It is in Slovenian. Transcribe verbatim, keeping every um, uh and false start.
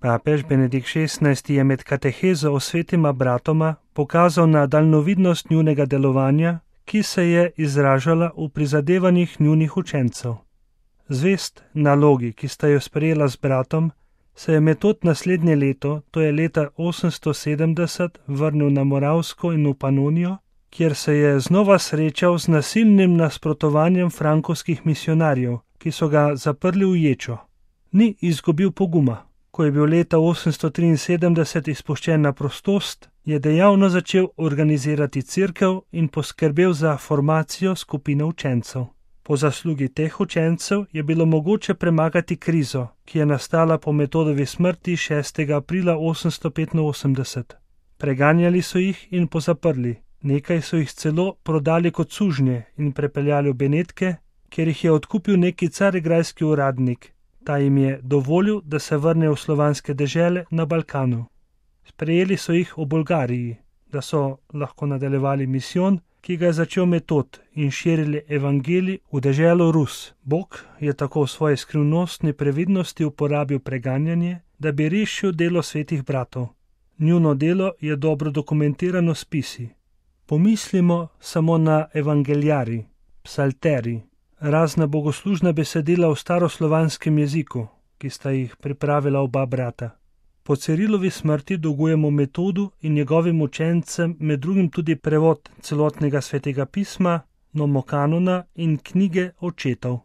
Papež Benedikt šestnajsti je med katehezo o svetima bratoma pokazal na daljnovidnost njunega delovanja, ki se je izražala v prizadevanjih njunih učencev. Zvest nalogi, ki sta jo sprejela z bratom, se je Metod naslednje leto, to je leta osemsto sedemdeset, vrnil na Moravsko in v Panonijo, kjer se je znova srečal z nasilnim nasprotovanjem frankovskih misionarjev, ki so ga zaprli v ječo. Ni izgubil poguma. Ko je bil leta osemsto triinsedemdeset izpuščen na prostost, je dejavno začel organizirati cerkev in poskrbel za formacijo skupine učencev. Po zaslugi teh učencev je bilo mogoče premagati krizo, ki je nastala po Metodovi smrti šestega aprila osemsto petinosemdeset. Preganjali so jih in pozaprli, nekaj so jih celo prodali kot sužnje in prepeljali v Benetke, kjer jih je odkupil neki carigrajski uradnik. Ta jim je dovolil, da se vrnejo v slovanske dežele na Balkanu. Sprejeli so jih v Bolgariji, da so lahko nadaljevali misijon, ki ga je začel Metod, in širili evangelij v deželo Rus. Bog je tako v svoji skrivnostni previdnosti uporabil preganjanje, da bi rešil delo svetih bratov. Njuno delo je dobro dokumentirano s spisi. Pomislimo samo na evangeljari, psalteri, razna bogoslužna besedila v staroslovanskem jeziku, ki sta jih pripravila oba brata. Po Cirilovi smrti dolgujemo Metodu in njegovim učencem med drugim tudi prevod celotnega svetega pisma, nomokanona in knjige očetov.